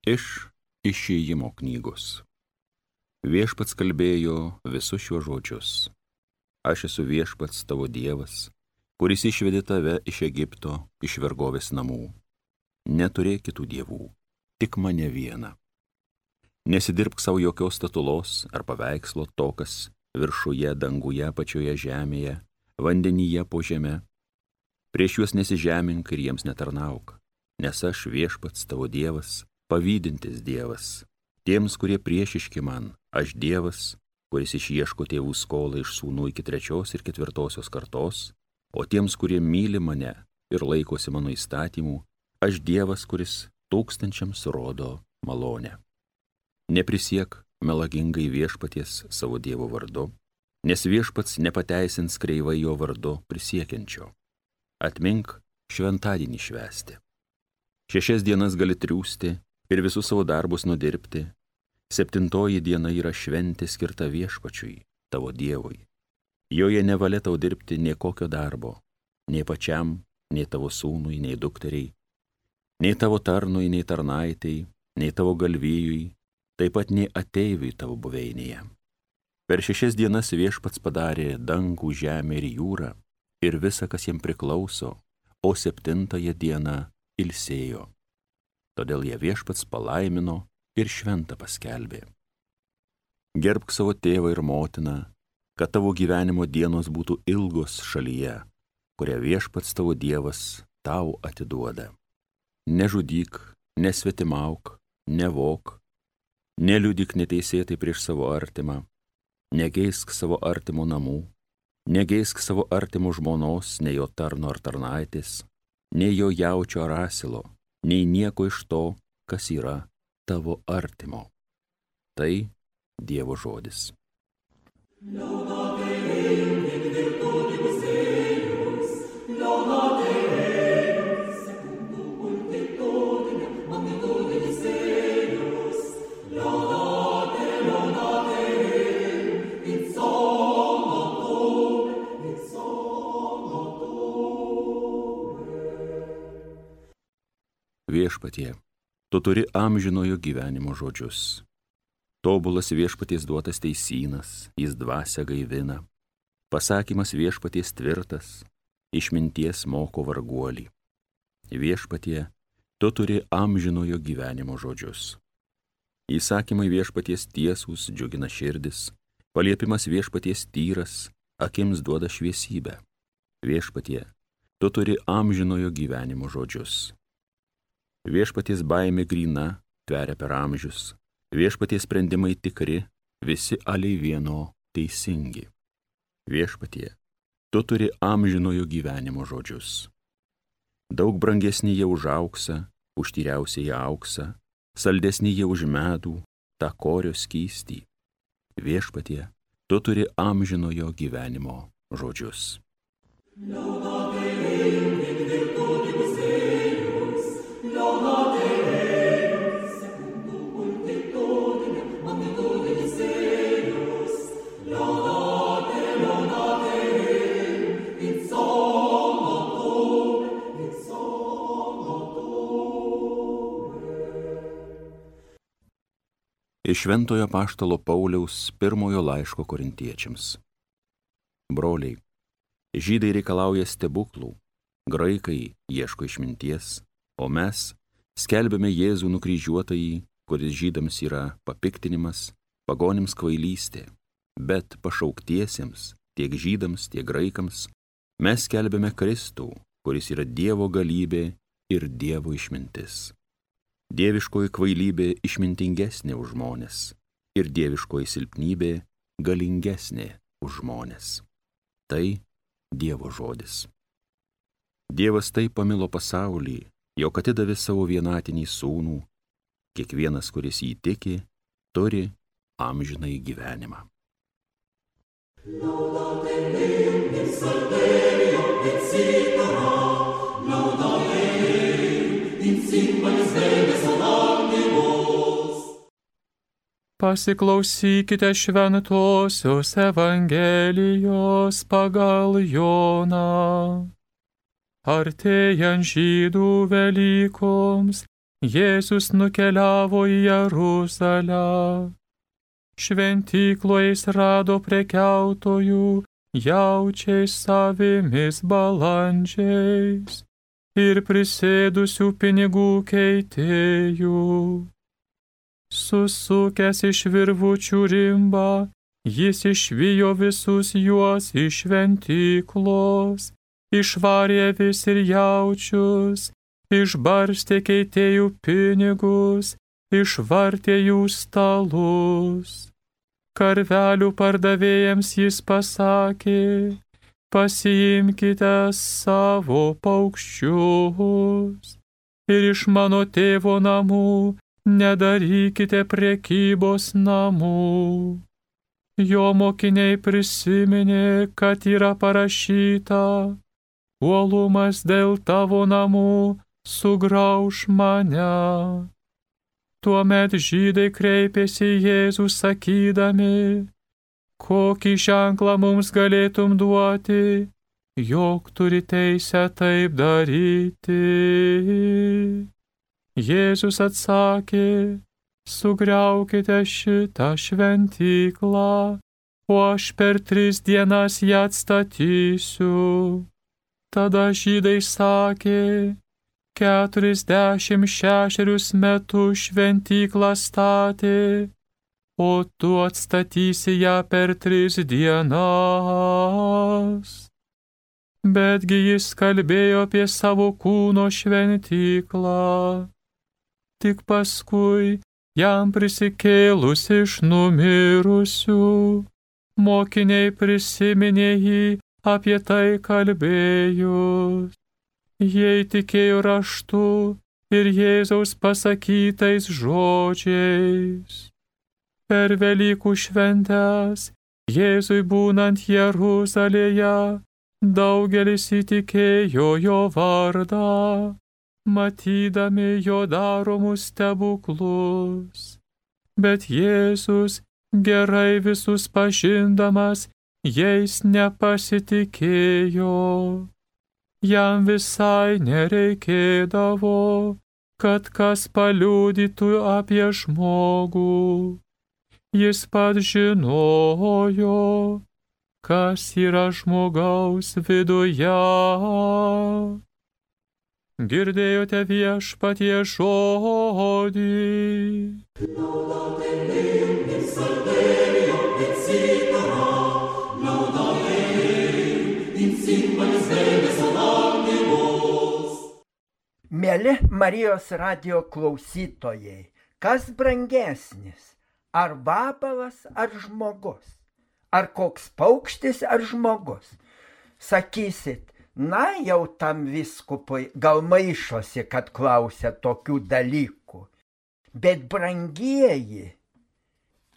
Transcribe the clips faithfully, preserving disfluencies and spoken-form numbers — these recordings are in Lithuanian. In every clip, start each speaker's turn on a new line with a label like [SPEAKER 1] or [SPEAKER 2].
[SPEAKER 1] Iš Išėjimo knygos. Viešpats kalbėjo visus šiuos žodžius. Aš esu viešpats tavo Dievas, kuris išvedė tave iš Egipto, iš vergovės namų. Neturėk kitų dievų, tik mane vieną. Nesidirbk savo jokios statulos ar paveikslo to, kas viršuje, danguje, pačioje žemėje, vandenyje po žeme. Prieš juos nesižemink ir jiems netarnauk, nes aš viešpats tavo Dievas, pavydintis Dievas. Tiems, kurie priešiški man, aš Dievas, kuris išieško tėvų skolą iš sūnų iki trečios ir ketvirtosios kartos, o tiems, kurie myli mane ir laikosi mano įstatymų, aš Dievas, kuris tūkstančiams rodo malonę. Neprisiek melagingai viešpaties savo Dievo vardu, nes viešpats nepateisins kreivai jo vardu prisiekiančio. Atmink šventadienį švęsti. Šešias dienas gali triūsti ir visus savo darbus nudirbti. Septintoji diena yra šventė skirta viešpačiui, tavo Dievui. Joje nevalia tau dirbti nei kokio darbo, nei pačiam, nei tavo sūnui, nei dukteriai, nei tavo tarnui, nei tarnaitei, nei tavo galvijui, taip pat nei ateiviui tavo buveinėje. Per šešias dienas viešpats padarė dangų, žemę ir jūrą ir visa, kas jam priklauso, o septintąją dieną ilsėjo. Todėl ją viešpats palaimino ir šventą paskelbė. Gerbk savo tėvą ir motiną, kad tavo gyvenimo dienos būtų ilgos šalyje, kurią viešpats tavo Dievas tau atiduoda. Nežudyk, nesvetimauk, nevok, neliudyk neteisėtai prieš savo artimą, negeisk savo artimo namų, negeisk savo artimo žmonos, nei jo tarno ar tarnaitės, nei jo jaučio ar asilo, nei nieko iš to, kas yra tavo artimo. Tai Dievo žodis. Viešpatie, tu turi amžinojo gyvenimo žodžius. Tobulas viešpaties duotas teisynas, jis dvasią gaivina. Pasakymas viešpaties tvirtas, išminties moko varguolį. Viešpatie, tu turi amžinojo gyvenimo žodžius. Įsakymai viešpaties tiesūs džiugina širdis, paliepimas viešpaties tyras, akims duoda šviesybę. Viešpatie, tu turi amžinojo gyvenimo žodžius. Viešpaties baimė gryna, tveria per amžius, viešpaties sprendimai tikri, visi aliai vieno teisingi. Viešpatie, tu turi amžinojo gyvenimo žodžius. Daug brangesni jie už auksą, už tyriausiąjį auksą, saldesni jie už medų, tą korio skystį. Viešpatie, tu turi amžinojo gyvenimo žodžius. Iš Šventojo apaštalo Pauliaus pirmojo laiško korintiečiams. Broliai, žydai reikalauja stebuklų, graikai ieško išminties, o mes skelbiame Jėzų nukryžiuotąjį, kuris žydams yra papiktinimas, pagonims kvailystė, bet pašauktiesiems, tiek žydams, tiek graikams, mes skelbiame Kristų, kuris yra Dievo galybė ir Dievo išmintis. Dieviškoji kvailybė išmintingesnė už žmones ir dieviškoji silpnybė galingesnė už žmones. Tai Dievo žodis. Dievas taip pamilo pasaulį, jog atidavė savo vienatinį sūnų, kiekvienas, kuris jį tiki, turi amžinąjį gyvenimą. Laudate Deum in salverio et citara, laudate Deum in cymbalis verbes adantibus.
[SPEAKER 2] Pasiklausykite šventosios Evangelijos pagal Joną. Artėjant žydų Velykoms, Jėzus nukeliavo į Jeruzalę. Šventykloje jis rado prekiautojų, jaučiais, avimis, balandžiais ir prisėdusių pinigų keitėjų. Susukęs iš virvučių rimbą, jis išvijo visus juos iš šventyklos, išvarė avis ir jaučius, išbarstė keitėjų pinigus, išvartė jų stalus. Karvelių pardavėjams jis pasakė, pasiimkite savo paukščius ir iš mano tėvo namų nedarykite prekybos namų. Jo mokiniai prisiminė, kad yra parašyta, uolumas dėl tavo namų sugrauš mane. Tuomet žydai kreipėsi į Jėzų sakydami, kokį ženklą mums galėtum duoti, jog turi teisę taip daryti. Jėzus atsakė, sugriaukite šitą šventyklą, o aš per tris dienas ją atstatysiu. Tada žydai sakė, keturiasdešimt šešerius metus šventyklą statė, o tu atstatysi ją per tris dienas. Betgi jis kalbėjo apie savo kūno šventyklą. Tik paskui, jam prisikėlus iš numirusių, mokiniai prisiminė jį apie tai kalbėjus. Jie tikėjo raštu ir Jėzaus pasakytais žodžiais. Per Velykų šventes, Jėzui būnant Jeruzalėje, daugelis įtikėjo jo vardą, matydami jo daromus stebuklus. Bet Jėzus, gerai visus pažindamas, jais nepasitikėjo. Jam visai nereikėdavo, kad kas paliudytų apie žmogų. Jis pats žinojo, kas yra žmogaus viduje. Girdėjote Viešpatie žodį.
[SPEAKER 3] Mėly Marijos radijo klausytojai, kas brangesnis, ar vabalas, ar žmogus, ar koks paukštis, ar žmogus? Sakysit, na jau tam vyskupui gal maišosi, kad klausia tokių dalykų. Bet brangieji,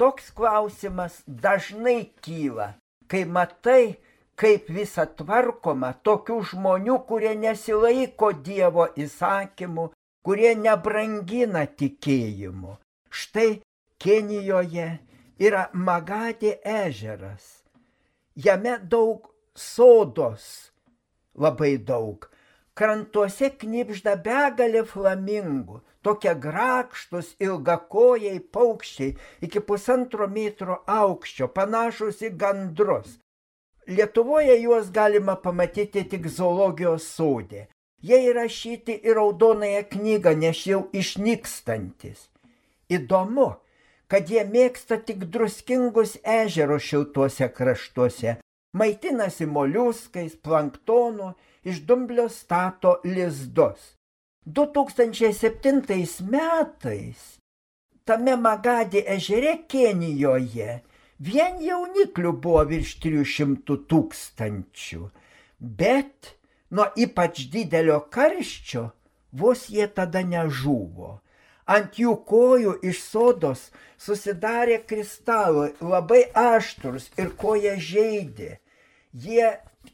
[SPEAKER 3] toks klausimas dažnai kyla, kai matai, kaip visa tvarkoma tokių žmonių, kurie nesilaiko Dievo įsakymų, kurie nebrangina tikėjimu. Štai Kenijoje yra Magadi ežeras. Jame daug sodos, labai daug. Krantuose knibžda begalė flamingų, tokie grakštus ilgakojai paukščiai iki pusantro metro aukščio, panašus į gandrus. Lietuvoje juos galima pamatyti tik zoologijos sode. Jie įrašyti į raudonąją knygą, nes jau išnykstantis. Įdomu, kad jie mėgsta tik druskingus ežerus šiltuose kraštuose, maitinasi moliuskais, planktonu, iš dumblio stato lizdus. du tūkstančiai septintais metais tame Magadi ežere Kenijoje vien jauniklių buvo virš trijų šimtų tūkstančių, bet nuo ypač didelio karščio vos jie tada nežuvo. Ant jų kojų iš sodos susidarė kristalai, labai aštrus ir koją žeidė. Jie,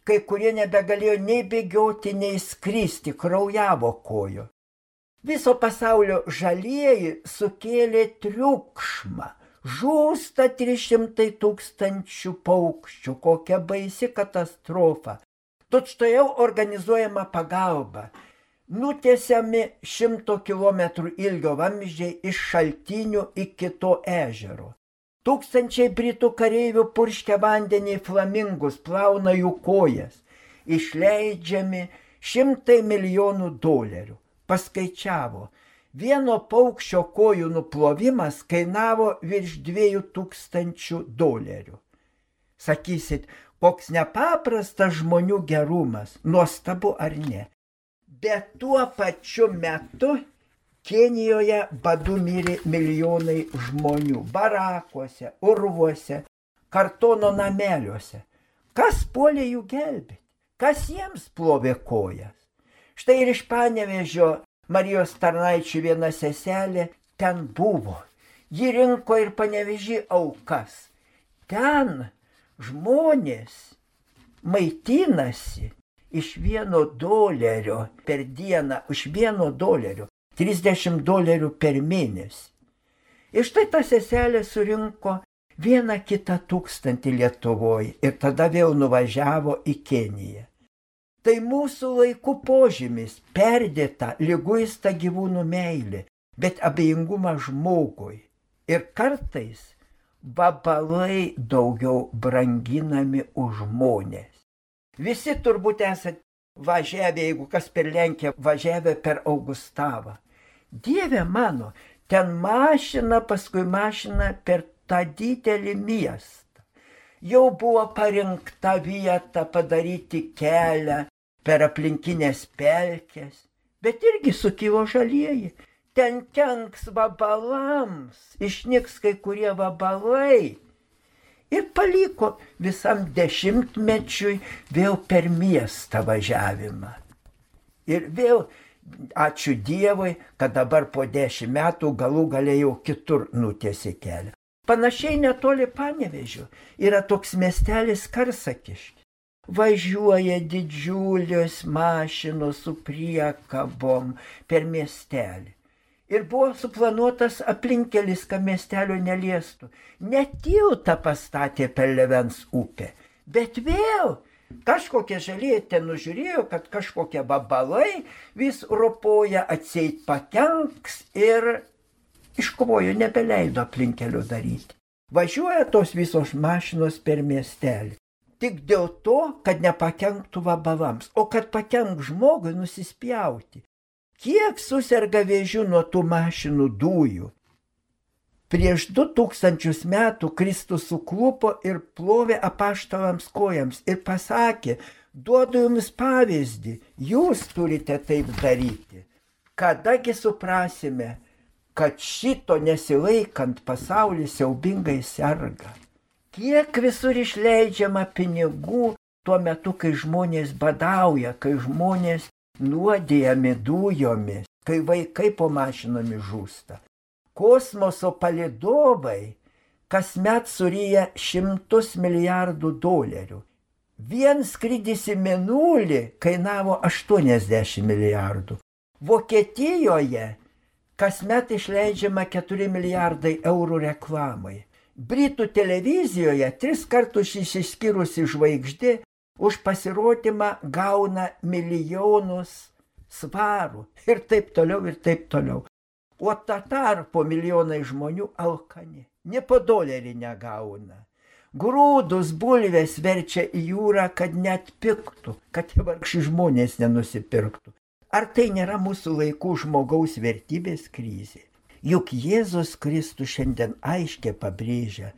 [SPEAKER 3] kai kurie nebegalėjo nei bėgioti, nei skristi, kraujavo kojo. Viso pasaulio žalieji sukėlė triukšmą. Žūsta trys šimtai tūkstančių paukščių, kokia baisi katastrofa. Tučtuojau organizuojama pagalba. nutiesiami šimto kilometrų ilgio vamzdžiai iš šaltinių iki to ežero. Tūkstančiai britų kareivių purškia vandenį į flamingus, plauna jų kojas. Išleidžiami šimtai milijonų dolerių. Paskaičiavo, vieno paukščio kojų nuplovimas kainavo virš dviejų tūkstančių dolerių. Sakysit, koks nepaprastas žmonių gerumas, nuostabu ar ne? Bet tuo pačiu metu Kenijoje badu mirė milijonai žmonių, barakuose, urvuose, kartono nameliuose. Kas puolė jų gelbėti? Kas jiems plovė kojas? Štai ir iš Panevėžio Marijos tarnaičių viena seselė ten buvo. Ji rinko ir Panevėžį aukas. Ten žmonės maitinasi iš vieno dolerio per dieną, iš vieno dolerio, trisdešimt dolerių per mėnesį. Ir štai ta seselė surinko vieną kitą tūkstantį Lietuvoje ir tada vėl nuvažiavo į Keniją. Tai mūsų laikų požymis, perdėta, liguista gyvūnų meilė, bet abejingumas žmogui. Ir kartais vabalai daugiau branginami už žmonės. Visi turbūt esate važiavę, jeigu kas per Lenkiją, važiavę per Augustavą. Dieve mano, ten mašina, paskui mašina per tą didelį miestą. Jau buvo parinkta vieta padaryti kelią per aplinkinės pelkės, bet irgi sukilo žalieji. Ten kenks vabalams, išnyks kai kurie vabalai. Ir paliko visam dešimtmečiui vėl per miestą važiavimą. Ir vėl, ačiū Dievui, kad dabar po dešimt metų galų galėjau kitur nutiesi kelią. Panašiai netoli Panevėžio yra toks miestelis Karsakiškis. Važiuoja didžiulės mašinos su priekabom per miestelį. Ir buvo suplanuotas aplinkelis, kad miestelio neliestų. Ne tiltą pastatė per Levens upę, bet vėl kažkokie žalieji ten nužiūrėjo, kad kažkokie vabalai vis ropoja, atseit pakenks ir iškovojo, nebeleido aplinkelio daryti. Važiuoja tos visos mašinos per miestelį. Tik dėl to, kad nepakenktų vabalams, o kad pakenk žmogui nusispjauti. Kiek suserga vėžių nuo tų mašinų dujų? Prieš du tūkstančius metų Kristus suklupo ir plovė apaštalams kojams ir pasakė, duodu jums pavyzdį, jūs turite taip daryti. Kadagi suprasime, kad šito nesilaikant pasaulis siaubingai serga. Kiek visur išleidžiama pinigų tuo metu, kai žmonės badauja, kai žmonės nuodėjami dujomis, kai vaikai po mašinomis žūsta. Kosmoso palydovai kasmet suryja šimtus milijardų dolerių. Vien skrydis į Mėnulį kainavo aštuoniasdešimt milijardų. Vokietijoje kasmet išleidžiama keturi milijardai eurų reklamai. Britų televizijoje tris kartus išsiskyrusi žvaigždė už pasirodymą gauna milijonus svarų ir taip toliau ir taip toliau. O ta tarpo milijonai žmonių alkani, ne po dolerį negauna. Grūdus, bulves verčia į jūrą, kad net piktų, kad vargši žmonės nenusipirktų. Ar tai nėra mūsų laikų žmogaus vertybės krizė? Juk Jėzus Kristus šiandien aiškiai pabrėžia,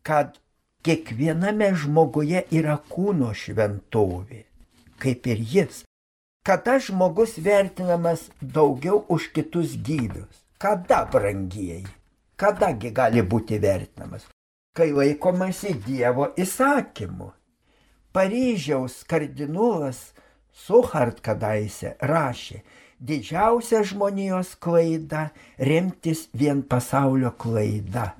[SPEAKER 3] kad kiekviename žmoguje yra kūno šventovė, kaip ir jis. Kada žmogus vertinamas daugiau už kitus gyvius? Kada, brangieji? Kadagi gali būti vertinamas? Kai laikomasi Dievo įsakymu. Paryžiaus kardinolas Suchard kadaise rašė, didžiausia žmonijos klaida remtis vien pasaulio klaida.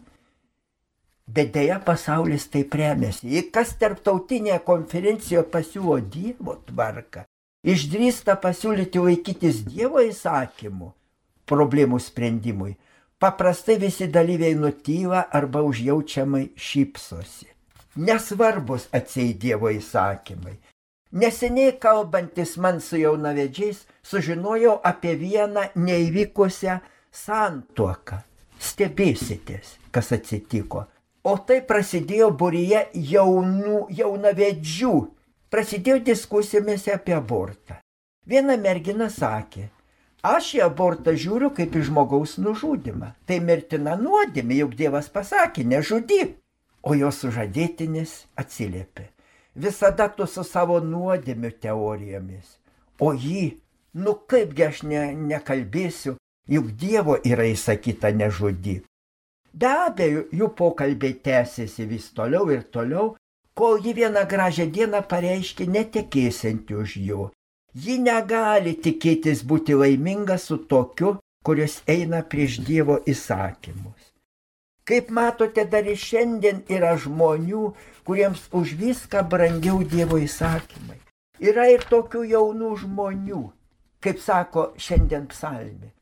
[SPEAKER 3] Bet dėja pasaulis taip remiasi. Jei kas tarptautinėje konferencijoje pasiūlo Dievo tvarką, išdrįsta pasiūlyti laikytis Dievo įsakymų problemų sprendimui, paprastai visi dalyviai nutyla arba užjaučiamai šypsosi. Nesvarbus atseit Dievo įsakymai. Neseniai kalbantis man su jaunavedžiais, sužinojau apie vieną neįvykusią santuoką. Stebėsitės, kas atsitiko. O tai prasidėjo būryje jaunų, jaunavedžių. Prasidėjo diskusijomis apie abortą. Viena mergina sakė, aš į abortą žiūriu kaip į žmogaus nužudymą. Tai mirtina nuodėmė, juk Dievas pasakė, nežudyk. O jos sužadėtinis atsiliepė. Visada tu su savo nuodėmių teorijomis. O jį, nu kaipgi aš ne, nekalbėsiu, juk Dievo yra įsakyta nežudyk. Be abejo, jų pokalbiai tęsėsi vis toliau ir toliau, kol ji vieną gražią dieną pareiškė netekėsianti už jo. Ji negali tikėtis būti laiminga su tokiu, kuris eina prieš Dievo įsakymus. Kaip matote, dar ir šiandien yra žmonių, kuriems už viską brangiau Dievo įsakymai. Yra ir tokių jaunų žmonių, kaip sako šiandien psalmė,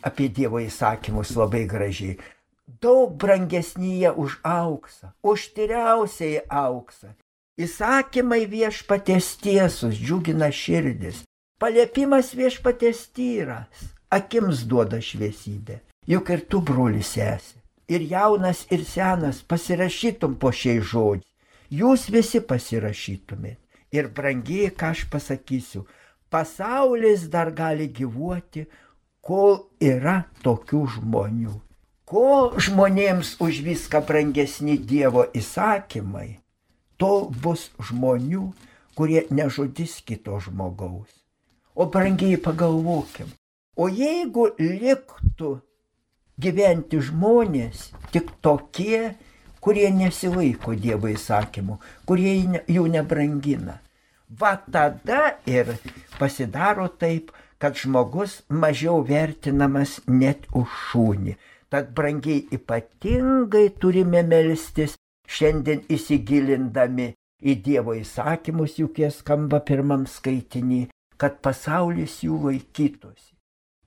[SPEAKER 3] apie Dievo įsakymus labai gražiai. Daug brangesnyje už auksą, už tyriausiai auksą. Įsakymai viešpaties tiesus, džiugina širdis. Paliepimas viešpaties tyras, akims duoda šviesybę. Juk ir tu, brolis, esi. Ir jaunas, ir senas pasirašytum po šiais žodžiais. Jūs visi pasirašytumėt. Ir brangiai, ką aš pasakysiu, pasaulis dar gali gyvuoti, kol yra tokių žmonių. Kol žmonėms už viską brangesni Dievo įsakymai, tol bus žmonių, kurie nežudys kito žmogaus. O brangiai pagalvokim, o jeigu liktų gyventi žmonės tik tokie, kurie nesilaiko Dievo įsakymų, kurie jų nebrangina. Va tada ir pasidaro taip, kad žmogus mažiau vertinamas net už šunį. Tad brangiai ypatingai turime melstis, šiandien įsigilindami į Dievo įsakymus, juk jie skamba pirmam skaitinį, kad pasaulis jų laikytųsi.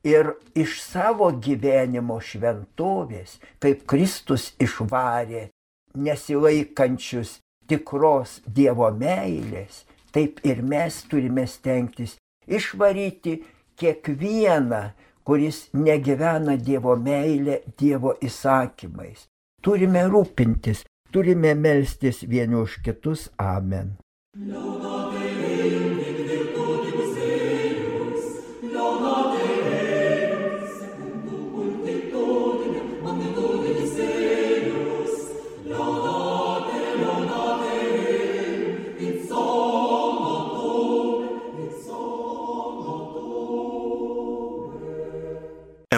[SPEAKER 3] Ir iš savo gyvenimo šventovės, kaip Kristus išvarė nesilaikančius tikros Dievo meilės, taip ir mes turime stengtis išvaryti kiekvieną, kuris negyvena Dievo meilė, Dievo įsakymais. Turime rūpintis, turime melstis vieni už kitus. Amen.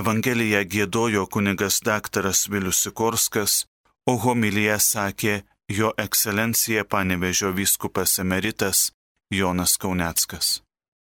[SPEAKER 4] Evangeliją giedojo kunigas daktaras Vilius Sikorskas, o homiliją sakė jo ekscelencija Panevėžio vyskupas emeritas Jonas Kauneckas.